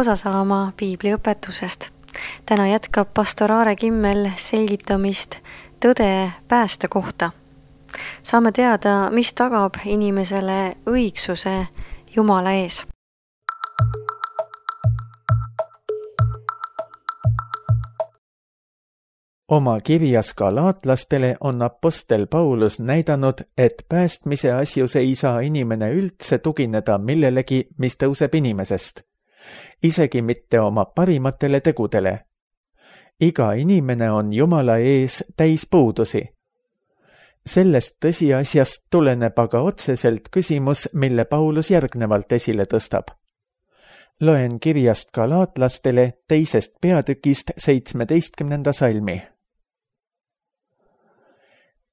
osa saama piibliõpetusest. Täna jätkab pastor Aare Kimmel selgitamist tõde pääste kohta. Saame teada, mis tagab inimesele õigsuse Jumala ees. Oma kirjas galaatlastele on apostel Paulus näidanud, et päästmise asjus ei saa inimene üldse tugineda millelegi, mis tõuseb inimesest. Isegi mitte oma parimatele tegudele. Iga inimene on Jumala ees täis puudusi. Sellest tõsiasjast tuleneb aga otseselt küsimus, mille Paulus järgnevalt esile tõstab. Loen kirjast galaatlastele 2. peatükist 17. salmi.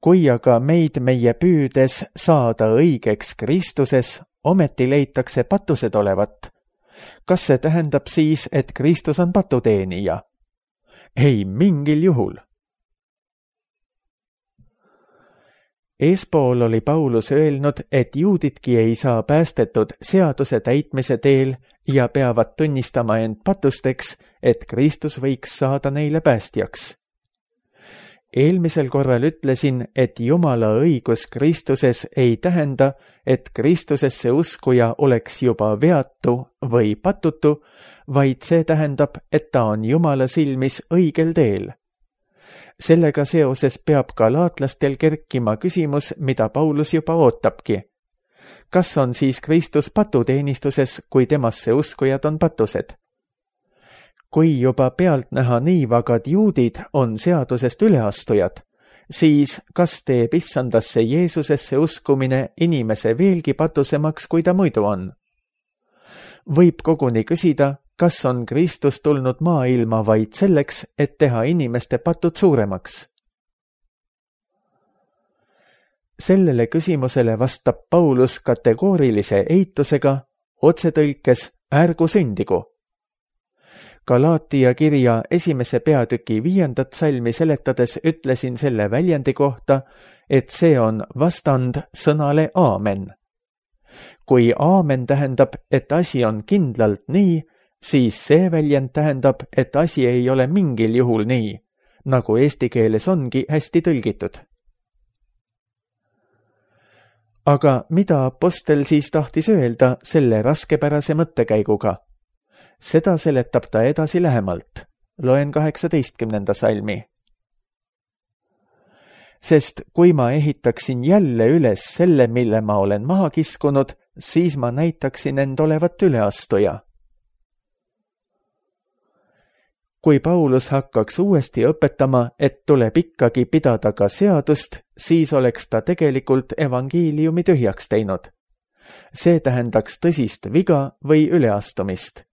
Kui aga meid meie püüdes saada õigeks Kristuses, ometi leitakse patused olevat. Kas see tähendab siis, et Kristus on patuteenija? Ei mingil juhul. Eespool oli Paulus öelnud, et juudidki ei saa päästetud seaduse täitmise teel ja peavad tunnistama end patusteks, et Kristus võiks saada neile päästjaks. Eelmisel korral ütlesin, et Jumala õigus Kristuses ei tähenda, et Kristusesse uskuja oleks juba veatu või patutu, vaid see tähendab, et ta on Jumala silmis õigel teel. Sellega seoses peab galaatlastel kerkima küsimus, mida Paulus juba ootabki. Kas on siis Kristus patuteenistuses, kui temasse uskujad on patused? Kui juba pealtnäha nii vagad juudid on seadusest üleastujad, siis kas teeb issandasse Jeesusesse uskumine inimese veelgi patusemaks, kui ta muidu on? Võib koguni küsida, kas on Kristus tulnud maailma vaid selleks, et teha inimeste patud suuremaks? Sellele küsimusele vastab Paulus kategoorilise eitusega, otsetõlkes ärgu sündigu. Galaatia kirja 1. peatüki 5. salmi seletades ütlesin selle väljendi kohta, et see on vastand sõnale aamen. Kui aamen tähendab, et asi on kindlalt nii, siis see väljend tähendab, et asi ei ole mingil juhul nii, nagu eesti keeles ongi hästi tõlgitud. Aga mida apostel siis tahtis öelda selle raskepärase mõttekäiguga? Seda seletab ta edasi lähemalt. Loen 18. salmi. Sest kui ma ehitaksin jälle üles selle, mille ma olen maha kiskunud, siis ma näitaksin end olevat üleastuja. Kui Paulus hakkaks uuesti õpetama, et tuleb ikkagi pidada ka seadust, siis oleks ta tegelikult evangeeliumi tühjaks teinud. See tähendaks tõsist viga või üleastumist.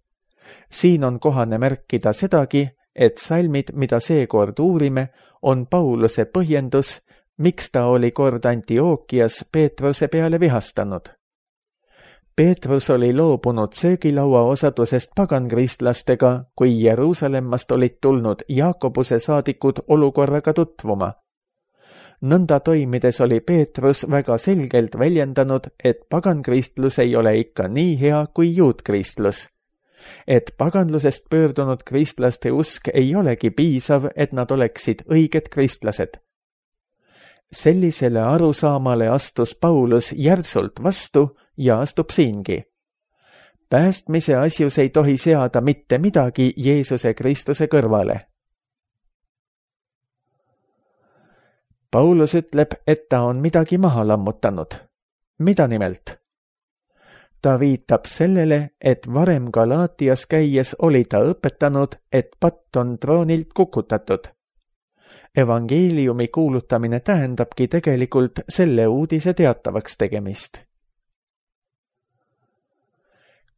Siin on kohane märkida sedagi, et salmid, mida seekord uurime, on Pauluse põhjendus, miks ta oli kord Antiookias Peetruse peale vihastanud. Peetrus oli loobunud söögilaua osadusest pagankristlastega, kui Jeruusalemmast olid tulnud Jaakobuse saadikud olukorraga tutvuma. Nõnda toimides oli Peetrus väga selgelt väljendanud, et pagankristlus ei ole ikka nii hea kui juudkristlus. Et paganlusest pöördunud kristlaste usk ei olegi piisav, et nad oleksid õiged kristlased. Sellisele arusaamale astus Paulus järsult vastu ja astub siingi. Päästmise asjus ei tohi seada mitte midagi Jeesuse Kristuse kõrvale. Paulus ütleb, et ta on midagi maha lammutanud. Mida nimelt? Ta viitab sellele, et varem Galaatias käies oli ta õpetanud, et patt on troonilt kukutatud. Evangeeliumi kuulutamine tähendabki tegelikult selle uudise teatavaks tegemist.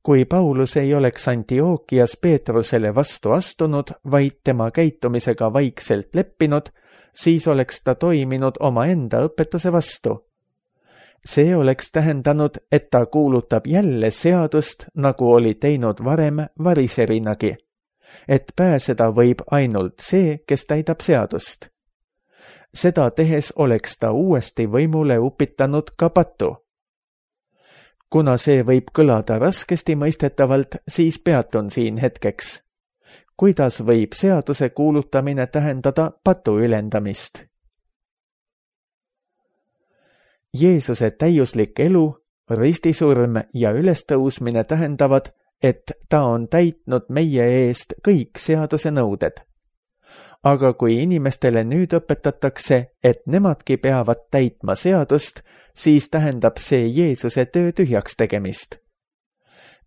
Kui Paulus ei oleks Antiookias Peetrusele vastu astunud, vaid tema käitumisega vaikselt leppinud, siis oleks ta toiminud omaenda õpetuse vastu. See oleks tähendanud, et ta kuulutab jälle seadust, nagu oli teinud varem variserinagi, et pääseda võib ainult see, kes täidab seadust. Seda tehes oleks ta uuesti võimule upitanud ka patu. kuna see võib kõlada raskesti mõistetavalt, siis peatun siin hetkeks. Kuidas võib seaduse kuulutamine tähendada patu ülendamist? Jeesuse täiuslik elu, ristisurm ja ülestõusmine tähendavad, et ta on täitnud meie eest kõik seaduse nõuded. Aga kui inimestele nüüd õpetatakse, et nemadki peavad täitma seadust, siis tähendab see Jeesuse töö tühjaks tegemist.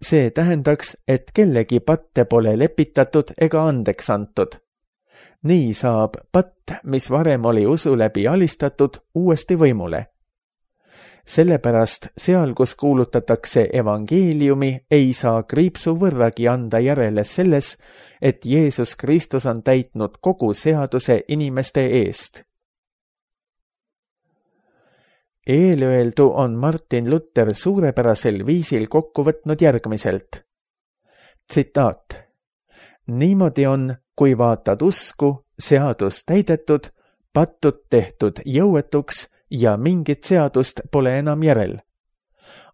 See tähendaks, et kellegi patte pole lepitatud ega andeks antud. Nii saab patt, mis varem oli usu läbi alistatud, uuesti võimule. Sellepärast seal, kus kuulutatakse evangeeliumi, ei saa kriipsu võrragi anda järele selles, et Jeesus Kristus on täitnud kogu seaduse inimeste eest. Eelöeldu on Martin Luther suurepärasel viisil kokku võtnud järgmiselt. Tsitaat. Niimoodi on, kui vaatad usku, seadus täidetud, patud tehtud jõuetuks ja mingit seadust pole enam järel.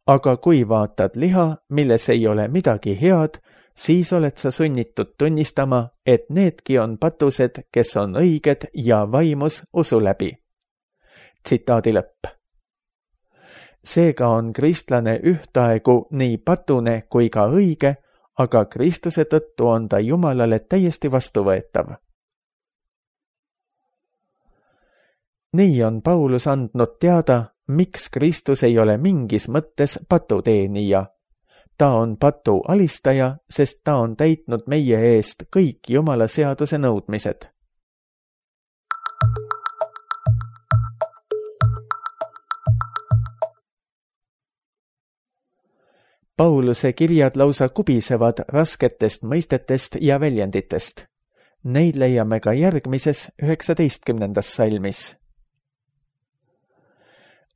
Aga kui vaatad liha, milles ei ole midagi head, siis oled sa sunnitud tunnistama, et needki on patused, kes on õiged ja vaimus usu läbi. Tsitaadi lõpp. Seega on kristlane ühtaegu nii patune kui ka õige, aga Kristuse tõttu on ta Jumalale täiesti vastuvõetav. Nii on Paulus andnud teada, miks Kristus ei ole mingis mõttes patuteenija. Ta on patu alistaja, sest ta on täitnud meie eest kõik Jumala seaduse nõudmised. Pauluse kirjad lausa kubisevad rasketest mõistetest ja väljenditest. Neid leiame ka järgmises 19. salmis.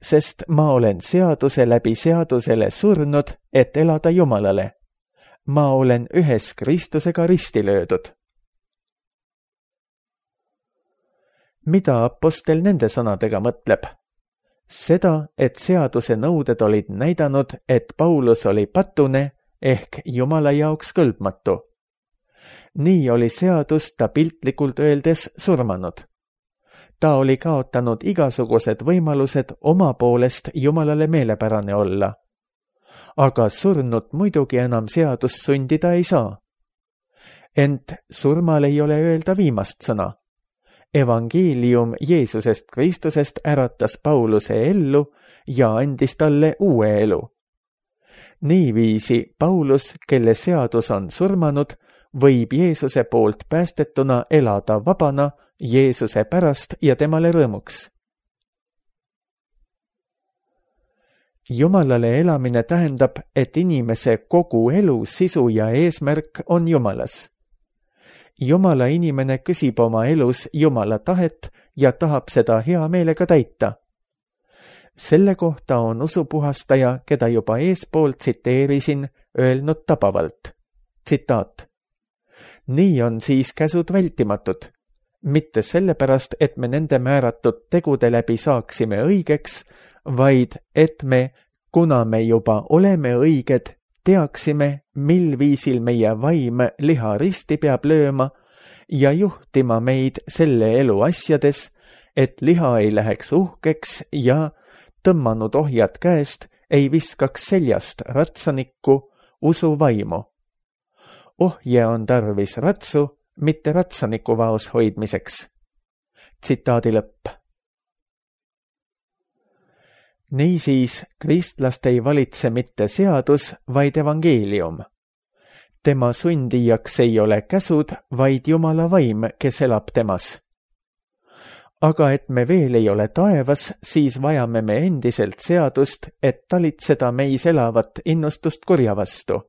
Sest ma olen seaduse läbi seadusele surnud, et elada Jumalale. Ma olen ühes Kristusega risti löödud. Mida apostel nende sõnadega mõtleb? Seda, et seaduse nõuded olid näidanud, et Paulus oli patune ehk Jumala jaoks kõlbmatu. Nii oli seadus ta piltlikult öeldes surmanud. Ta oli kaotanud igasugused võimalused oma poolest Jumalale meelepärane olla. Aga surnud muidugi enam seadust sundida ei saa. Ent surmal ei ole öelda viimast sõna. Evangeelium Jeesusest Kristusest äratas Pauluse ellu ja andis talle uue elu. Niiviisi Paulus, kelle seadus on surmanud, võib Jeesuse poolt päästetuna elada vabana Jeesuse pärast ja temale rõõmuks. Jumalale elamine tähendab, et inimese kogu elu sisu ja eesmärk on Jumalas. Jumala inimene küsib oma elus Jumala tahet ja tahab seda hea meelega täita. Selle kohta on usupuhastaja, keda juba eespool tsiteerisin, öelnud tabavalt. Tsitaat. Nii on siis käsud vältimatud. Mitte sellepärast, et me nende määratud tegude läbi saaksime õigeks, vaid et me, kuna me juba oleme õiged, teaksime, mil viisil meie vaim liha risti peab lööma ja juhtima meid selle elu asjades, et liha ei läheks uhkeks ja tõmmanud ohjad käest ei viskaks seljast ratsanikku usu vaimu. Ohje on tarvis ratsu, mitte ratsaniku vaos hoidmiseks. Tsitaadi lõpp. Niisiis, kristlast ei valitse mitte seadus, vaid evangeelium. Tema sundijaks ei ole käsud, vaid Jumala vaim, kes elab temas. Aga et me veel ei ole taevas, siis vajame me endiselt seadust, et talitseda meis elavat innustust kurja vastu.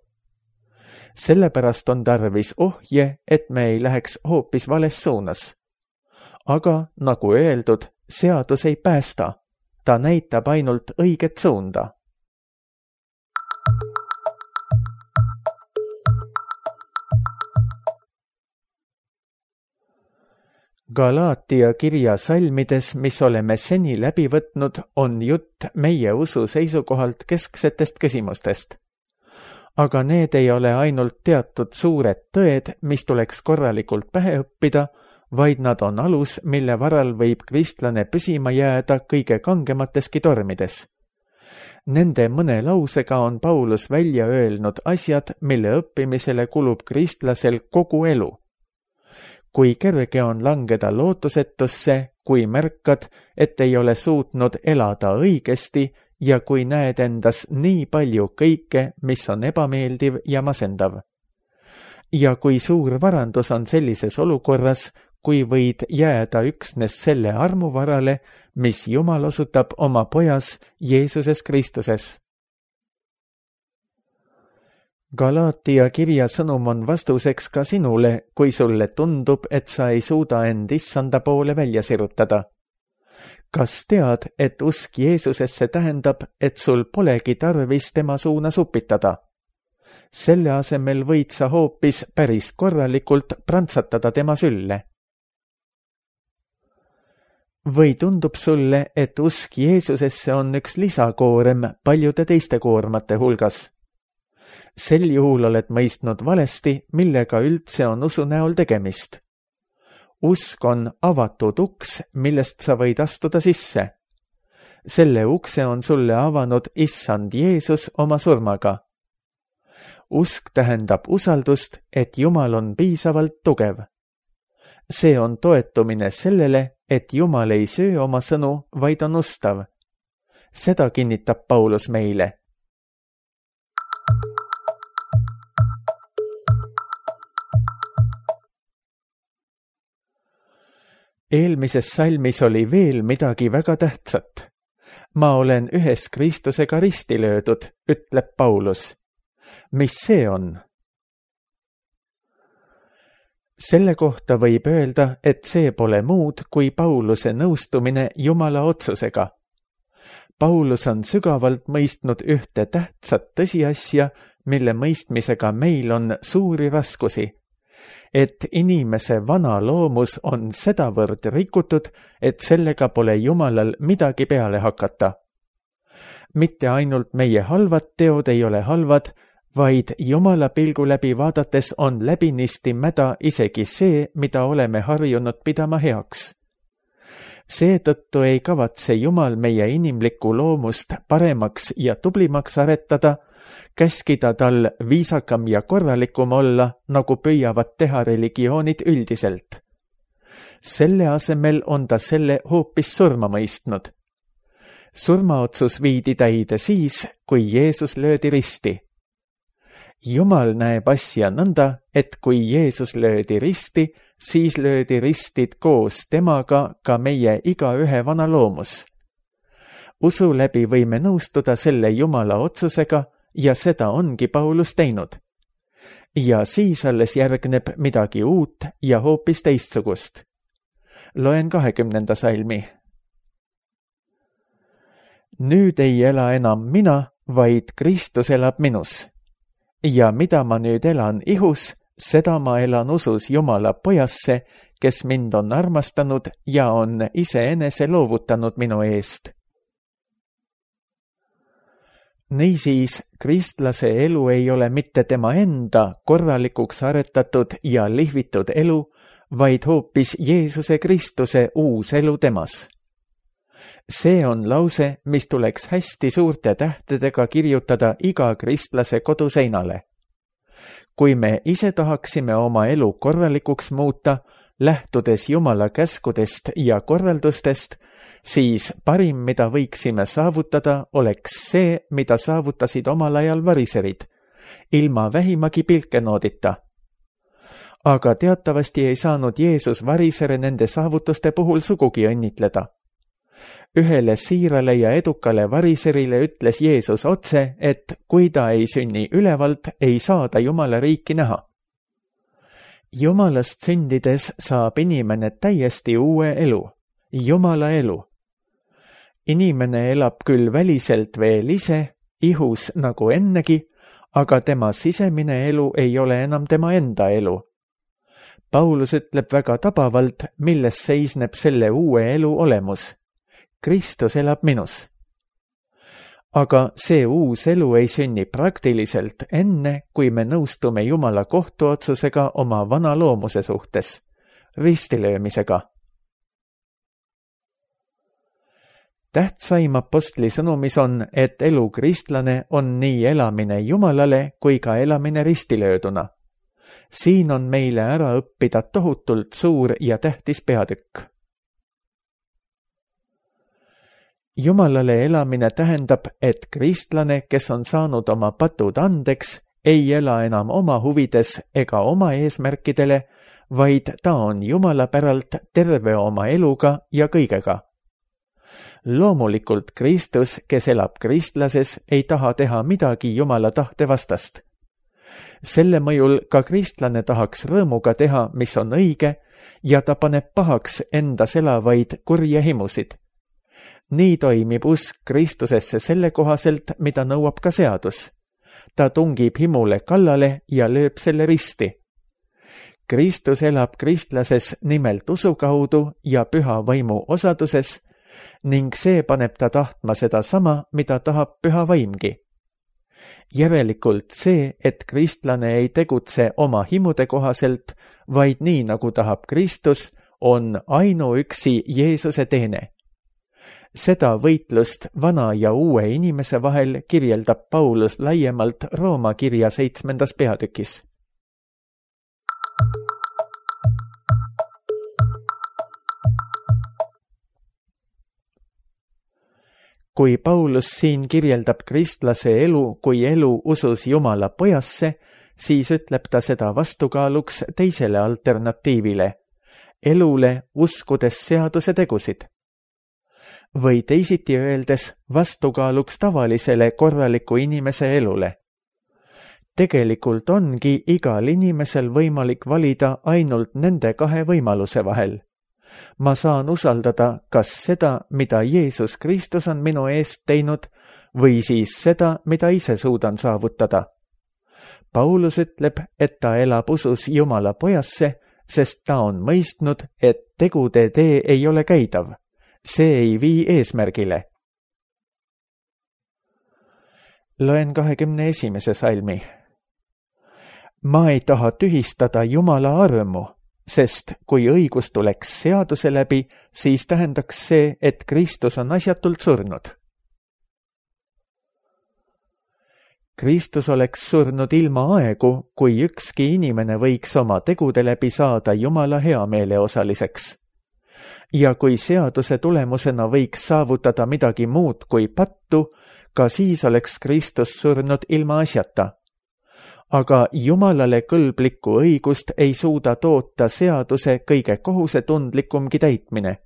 Sellepärast on tarvis ohje, et me ei läheks hoopis vales suunas. Aga, nagu öeldud, seadus ei päästa. Ta näitab ainult õiget suunda. Galaatia kirja salmides, mis oleme seni läbi võtnud, on jutt meie usu seisukohalt kesksetest küsimustest. Aga need ei ole ainult teatud suured tõed, mis tuleks korralikult pähe õppida, vaid nad on alus, mille varal võib kristlane püsima jääda kõige kangemateski tormides. Nende mõne lausega on Paulus välja öelnud asjad, mille õppimisele kulub kristlasel kogu elu. Kui kerge on langeda lootusetusse, kui märkad, et ei ole suutnud elada õigesti ja kui näed endas nii palju kõike, mis on ebameeldiv ja masendav. Ja kui suur varandus on sellises olukorras, kui võid jääda üksnes selle armu varale, mis Jumal osutab oma pojas Jeesuses Kristuses. Galaatia kirja sõnum on vastuseks ka sinule, kui sulle tundub, et sa ei suuda end issanda poole välja sirutada. Kas tead, et usk Jeesusesse tähendab, et sul polegi tarvis tema suunas upitada? Selle asemel võid sa hoopis päris korralikult prantsatada tema sülle. Või tundub sulle, et usk Jeesusesse on üks lisakoorem paljude teiste koormate hulgas? Sel juhul oled mõistnud valesti, millega üldse on usu näol tegemist. Usk on avatud uks, millest sa võid astuda sisse. Selle ukse on sulle avanud issand Jeesus oma surmaga. Usk tähendab usaldust, et Jumal on piisavalt tugev. See on toetumine sellele, et Jumal ei söö oma sõnu, vaid on ustav. Seda kinnitab Paulus meile. Eelmises salmis oli veel midagi väga tähtsat. Ma olen ühes Kristusega risti löödud, ütleb Paulus. Mis see on? Selle kohta võib öelda, et see pole muud kui Pauluse nõustumine Jumala otsusega. Paulus on sügavalt mõistnud ühte tähtsat tõsiasja, mille mõistmisega meil on suuri raskusi. Et inimese vana loomus on sedavõrd rikutud, et sellega pole Jumalal midagi peale hakata. Mitte ainult meie halvad teod ei ole halvad, vaid Jumala pilgu läbi vaadates on läbinisti mäda isegi see, mida oleme harjunud pidama heaks. Seetõttu ei kavatse Jumal meie inimlikku loomust paremaks ja tublimaks aretada, käskida tal viisakam ja korralikum olla, nagu püüavad teha religioonid üldiselt. Selle asemel on ta selle hoopis surma mõistnud. Surmaotsus viidi täide siis, kui Jeesus löödi risti. Jumal näeb asja nõnda, et kui Jeesus löödi risti, siis löödi ristid koos temaga ka meie igaühe vana loomus. Usu läbi võime nõustuda selle Jumala otsusega, ja seda ongi Paulus teinud. Ja siis alles järgneb midagi uut ja hoopis teistsugust. Loen 20. salmi. Nüüd ei ela enam mina, vaid Kristus elab minus. Ja mida ma nüüd elan ihus, seda ma elan usus Jumala pojasse, kes mind on armastanud ja on iseenese loovutanud minu eest. Niisiis, kristlase elu ei ole mitte tema enda korralikuks aretatud ja lihvitud elu, vaid hoopis Jeesuse Kristuse uus elu temas. See on lause, mis tuleks hästi suurte tähtedega kirjutada iga kristlase koduseinale. Kui me ise tahaksime oma elu korralikuks muuta, lähtudes Jumala käskudest ja korraldustest, siis parim, mida võiksime saavutada, oleks see, mida saavutasid omal ajal variserid, ilma vähimagi pilkenoodita. Aga teatavasti ei saanud Jeesus varisere nende saavutuste puhul sugugi õnnitleda. Ühele siirale ja edukale variserile ütles Jeesus otse, et kui ta ei sünni ülevalt, ei saa ta Jumala riiki näha. Jumalast sündides saab inimene täiesti uue elu, Jumala elu. Inimene elab küll väliselt veel ise, ihus nagu ennegi, aga tema sisemine elu ei ole enam tema enda elu. Paulus ütleb väga tabavalt, milles seisneb selle uue elu olemus. Kristus elab minus. Aga see uus elu ei sünni praktiliselt enne, kui me nõustume Jumala kohtuotsusega oma vana loomuse suhtes, ristilöömisega. Tähtsaim apostli sõnumis on, et elu kristlane on nii elamine Jumalale kui ka elamine ristilööduna. Siin on meile ära õppida tohutult suur ja tähtis peatükk. Jumalale elamine tähendab, et kristlane, kes on saanud oma patud andeks, ei ela enam oma huvides ega oma eesmärkidele, vaid ta on Jumala päralt terve oma eluga ja kõigega. Loomulikult Kristus, kes elab kristlases, ei taha teha midagi Jumala tahte vastast. Selle mõjul ka kristlane tahaks rõõmuga teha, mis on õige, ja ta paneb pahaks endas elavaid kurje himusid. Nii toimib usk Kristusesse selle kohaselt, mida nõuab ka seadus. Ta tungib himule kallale ja lööb selle risti. Kristus elab kristlases nimelt usu kaudu ja püha vaimu osaduses ning see paneb ta tahtma seda sama, mida tahab püha vaimgi. Järelikult see, et kristlane ei tegutse oma himude kohaselt, vaid nii, nagu tahab Kristus, on ainuüksi Jeesuse teene. Seda võitlust vana ja uue inimese vahel kirjeldab Paulus laiemalt Rooma kirja 7. peatükis. Kui Paulus siin kirjeldab kristlase elu kui elu usus Jumala pojasse, siis ütleb ta seda vastukaaluks teisele alternatiivile, elule uskudes seaduse tegusid. Või teisiti öeldes vastukaaluks tavalisele korraliku inimese elule. Tegelikult ongi igal inimesel võimalik valida ainult nende kahe võimaluse vahel. Ma saan usaldada kas seda, mida Jeesus Kristus on minu eest teinud, või siis seda, mida ise suudan saavutada. Paulus ütleb, et ta elab usus Jumala pojasse, sest ta on mõistnud, et tegude tee ei ole käidav. See ei vii eesmärgile. Loen 21. salmi. Ma ei taha tühistada Jumala armu, sest kui õigus tuleks seaduse läbi, siis tähendaks see, et Kristus on asjatult surnud. Kristus oleks surnud ilma aegu, kui ükski inimene võiks oma tegude läbi saada Jumala heameele osaliseks. Ja kui seaduse tulemusena võiks saavutada midagi muud kui pattu, ka siis oleks Kristus surnud ilma asjata. Aga Jumalale kõlblikku õigust ei suuda toota seaduse kõige kohusetundlikumgi täitmine.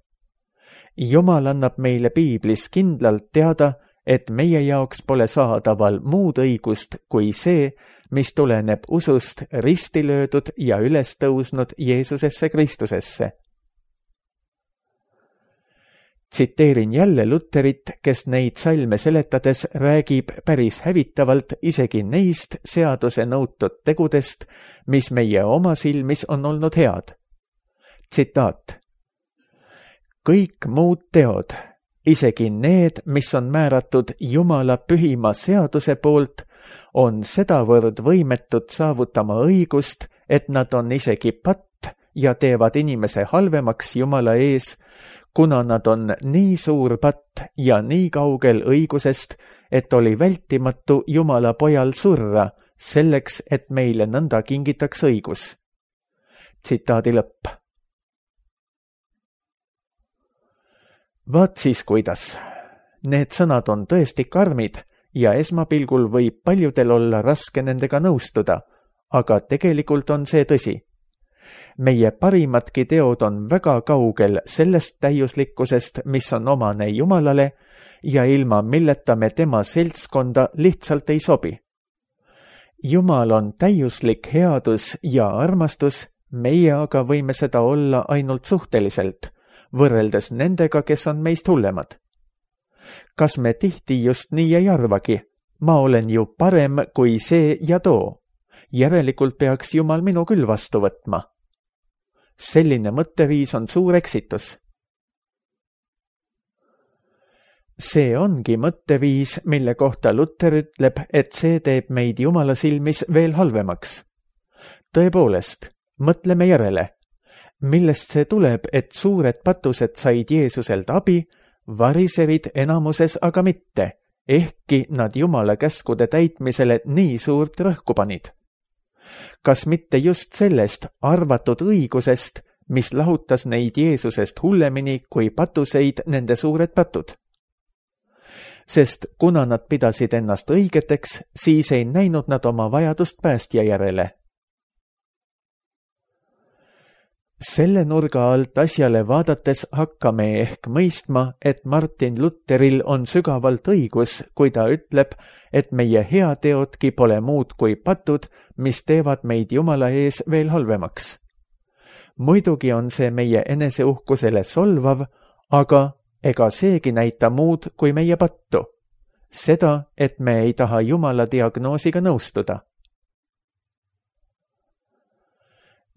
Jumal annab meile piiblis kindlalt teada, et meie jaoks pole saadaval muud õigust kui see, mis tuleneb usust risti löödud ja üles tõusnud Jeesusesse Kristusesse. Tsiteerin jälle Luterit, kes neid salme seletades räägib päris hävitavalt isegi neist seaduse nõutud tegudest, mis meie oma silmis on olnud head. Tsitaat. Kõik muud teod, isegi need, mis on määratud Jumala pühima seaduse poolt, on sedavõrd võimetud saavutama õigust, et nad on isegi patt ja teevad inimese halvemaks Jumala ees, kuna nad on nii suur patt ja nii kaugel õigusest, et oli vältimatu Jumala pojal surra, selleks, et meile nõnda kingitaks õigus. Tsitaadi lõpp. Vaat siis kuidas. Need sõnad on tõesti karmid ja esmapilgul võib paljudel olla raske nendega nõustuda, aga tegelikult on see tõsi. Meie parimadki teod on väga kaugel sellest täiuslikkusest, mis on omane Jumalale ja ilma milleta me tema seltskonda lihtsalt ei sobi. Jumal on täiuslik headus ja armastus, meie aga võime seda olla ainult suhteliselt, võrreldes nendega, kes on meist hullemad. Kas me tihti just nii ei arvagi? Ma olen ju parem kui see ja too. Järelikult peaks Jumal minu küll vastu võtma. selline mõtteviis on suur eksitus. See ongi mõtteviis, mille kohta Luter ütleb, et see teeb meid Jumala silmis veel halvemaks. Tõepoolest, mõtleme järele. Millest see tuleb, et suured patused said Jeesuselt abi, variserid enamuses aga mitte, ehkki nad Jumala käskude täitmisele nii suurt rõhku panid? Kas mitte just sellest arvatud õigusest, mis lahutas neid Jeesusest hullemini kui patuseid nende suured patud? Sest kuna nad pidasid ennast õigeteks, siis ei näinud nad oma vajadust päästja järele. Selle nurga alt asjale vaadates hakkame ehk mõistma, et Martin Lutheril on sügavalt õigus, kui ta ütleb, et meie heateodki pole muud kui patud, mis teevad meid Jumala ees veel halvemaks. Muidugi on see meie eneseuhkusele solvav, aga ega seegi näita muud kui meie pattu. Seda, et me ei taha Jumala diagnoosiga nõustuda.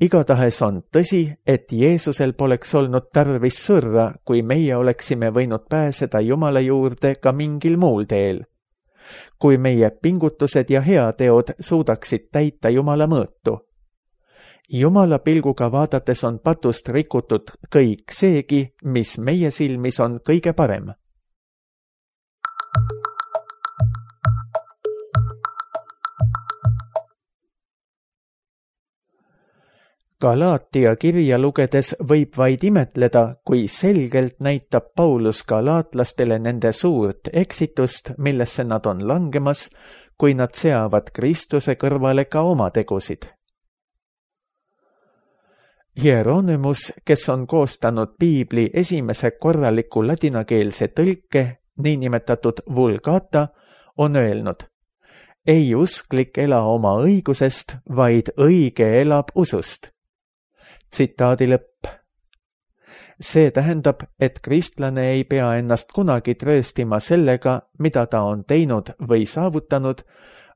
Igatahes on tõsi, et Jeesusel poleks olnud tarvis surra, kui meie oleksime võinud pääseda Jumala juurde ka mingil muul teel. Kui meie pingutused ja heateod suudaksid täita Jumala mõõtu. Jumala pilguga vaadates on patust rikutud kõik seegi, mis meie silmis on kõige parem. Galaatia kirja lugedes võib vaid imetleda, kui selgelt näitab Paulus galaatlastele nende suurt eksitust, millesse nad on langemas, kui nad seavad Kristuse kõrvale ka oma tegusid. Hieronymus, kes on koostanud piibli esimese korraliku ladinakeelse tõlke, niinimetatud Vulgata, on öelnud: ei usklik ela oma õigusest, vaid õige elab usust. Tsitaadi lõpp. See tähendab, et kristlane ei pea ennast kunagi trööstima sellega, mida ta on teinud või saavutanud,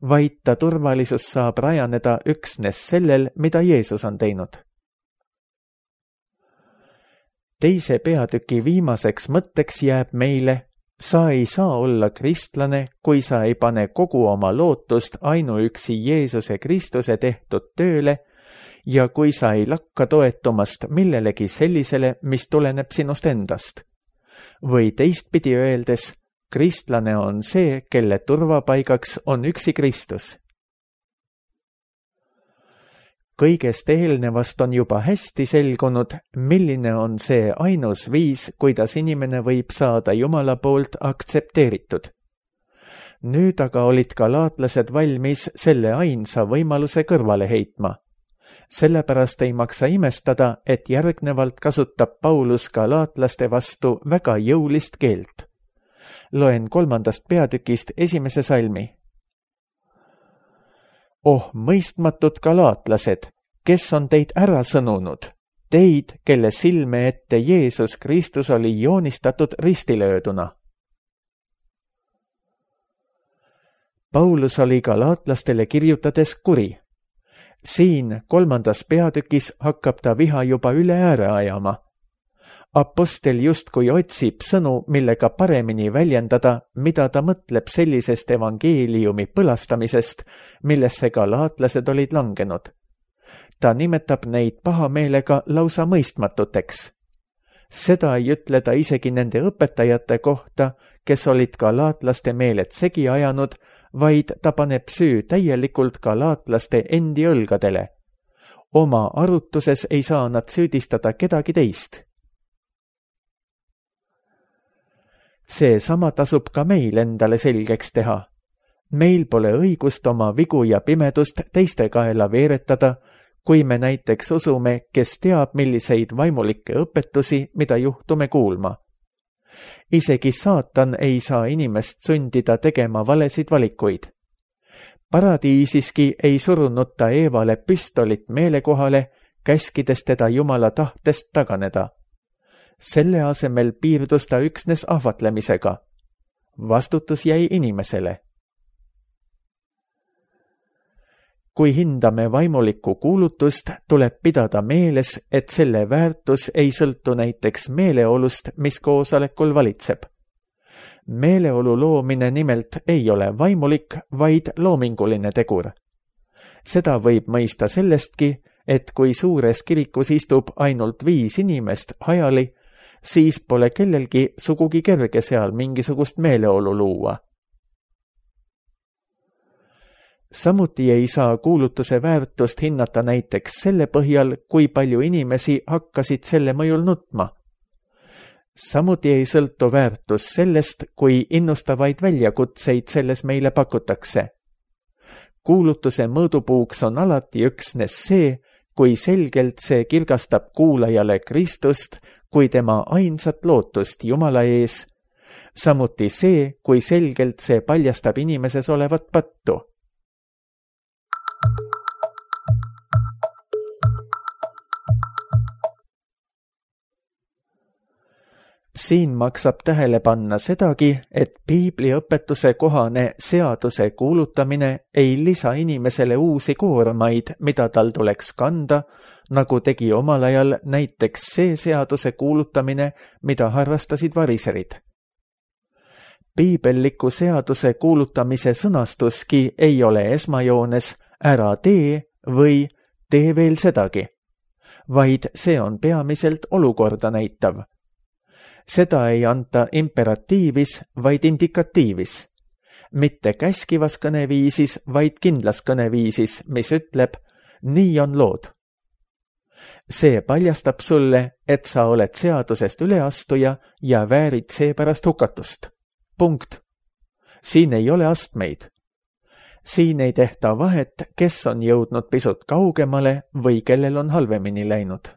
vaid ta turvalisus saab rajaneda üksnes sellel, mida Jeesus on teinud. Teise peatüki viimaseks mõtteks jääb meile: sa ei saa olla kristlane, kui sa ei pane kogu oma lootust ainuüksi Jeesuse Kristuse tehtud tööle ja kui sa ei lakka toetumast millelegi sellisele, mis tuleneb sinust endast. Või teistpidi öeldes, kristlane on see, kelle turvapaigaks on üksi Kristus. Kõigest eelnevast on juba hästi selgunud, milline on see ainus viis, kuidas inimene võib saada Jumala poolt aktsepteeritud. Nüüd aga olid galaatlased valmis selle ainsa võimaluse kõrvale heitma. Sellepärast ei maksa imestada, et järgnevalt kasutab Paulus galaatlaste vastu väga jõulist keelt. Loen 3. peatükist 1. salmi. Oh, mõistmatud galaatlased, kes on teid ära sõnunud, teid, kelle silme ette Jeesus Kristus oli joonistatud ristilööduna. Paulus oli galaatlastele kirjutades kuri. Siin 3. peatükis hakkab ta viha juba üle ääre ajama. Apostel justkui otsib sõnu, millega paremini väljendada, mida ta mõtleb sellisest evangeeliumi põlastamisest, millesse galaatlased olid langenud. Ta nimetab neid pahameelega lausa mõistmatuteks. Seda ei ütle ta isegi nende õpetajate kohta, kes olid galaatlaste meeled segi ajanud, vaid ta paneb süü täielikult galaatlaste endi õlgadele. Oma arutuses ei saa nad süüdistada kedagi teist. See sama tasub ka meil endale selgeks teha. Meil pole õigust oma vigu ja pimedust teiste kaela veeretada, kui me näiteks usume, kes teab, milliseid vaimulikke õpetusi, mida juhtume kuulma. Isegi saatan ei saa inimest sundida tegema valesid valikuid. Paradiisiski ei surunud ta Eevale püstolit meelekohale, käskides teda Jumala tahtest taganeda. Selle asemel piirdus ta üksnes ahvatlemisega. Vastutus jäi inimesele. kui hindame vaimulikku kuulutust, tuleb pidada meeles, et selle väärtus ei sõltu näiteks meeleolust, mis koosolekul valitseb. Meeleolu loomine nimelt ei ole vaimulik, vaid loominguline tegur. Seda võib mõista sellestki, et kui suures kirikus istub ainult 5 inimest hajali, siis pole kellelgi sugugi kerge seal mingisugust meeleolu luua. Samuti ei saa kuulutuse väärtust hinnata näiteks selle põhjal, kui palju inimesi hakkasid selle mõjul nutma. Samuti ei sõltu väärtus sellest, kui innustavaid väljakutseid selles meile pakutakse. Kuulutuse mõõdupuuks on alati üksnes see, kui selgelt see kirgastab kuulajale Kristust kui tema ainsat lootust Jumala ees, samuti see, kui selgelt see paljastab inimeses olevat pattu. Siin maksab tähele panna sedagi, et piibliõpetuse kohane seaduse kuulutamine ei lisa inimesele uusi koormaid, mida tal tuleks kanda, nagu tegi omal ajal näiteks see seaduse kuulutamine, mida harrastasid variserid. Piibelliku seaduse kuulutamise sõnastuski ei ole esmajoones ära tee või tee veel sedagi, vaid see on peamiselt olukorda näitav. Seda ei anta imperatiivis, vaid indikatiivis. Mitte käskivas kõneviisis, vaid kindlas kõneviisis, mis ütleb, nii on lood. See paljastab sulle, et sa oled seadusest üleastuja ja väärid seepärast hukatust. Punkt. Siin ei ole astmeid. Siin ei tehta vahet, kes on jõudnud pisut kaugemale või kellel on halvemini läinud.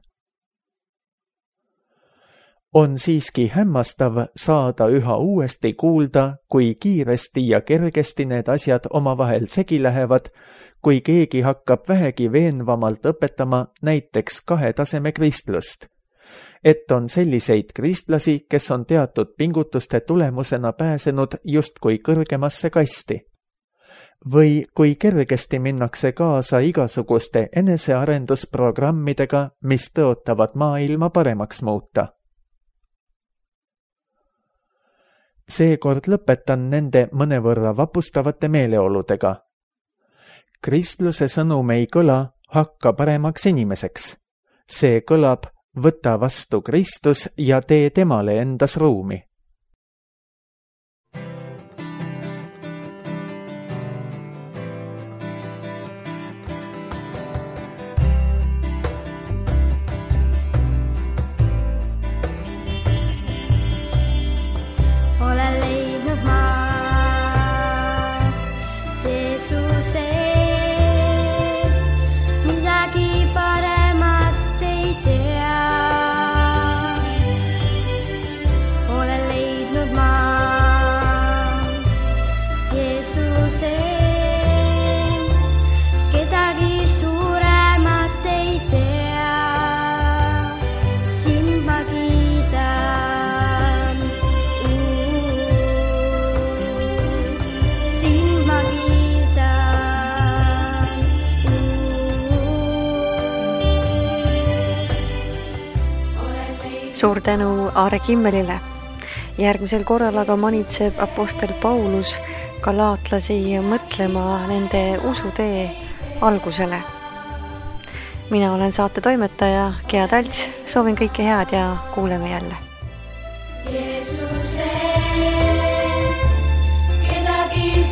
On siiski hämmastav saada üha uuesti kuulda, kui kiiresti ja kergesti need asjad omavahel segi lähevad, kui keegi hakkab vähegi veenvamalt õpetama näiteks 2 taseme kristlust. Et on selliseid kristlasi, kes on teatud pingutuste tulemusena pääsenud justkui kõrgemasse kasti. Või kui kergesti minnakse kaasa igasuguste enesearendusprogrammidega, mis tõotavad maailma paremaks muuta. Seekord lõpetan nende mõnevõrra vapustavate meeleoludega. Kristluse sõnum ei kõla, hakka paremaks inimeseks. See kõlab, võta vastu Kristus ja tee temale endas ruumi. Suur tänu Aare Kimmelile. Järgmisel korral aga manitseb apostel Paulus galaatlasi mõtlema nende usutee algusele. Mina olen saate toimetaja Gea Talts, soovin kõike head ja kuuleme jälle. Jeesuse, kedagi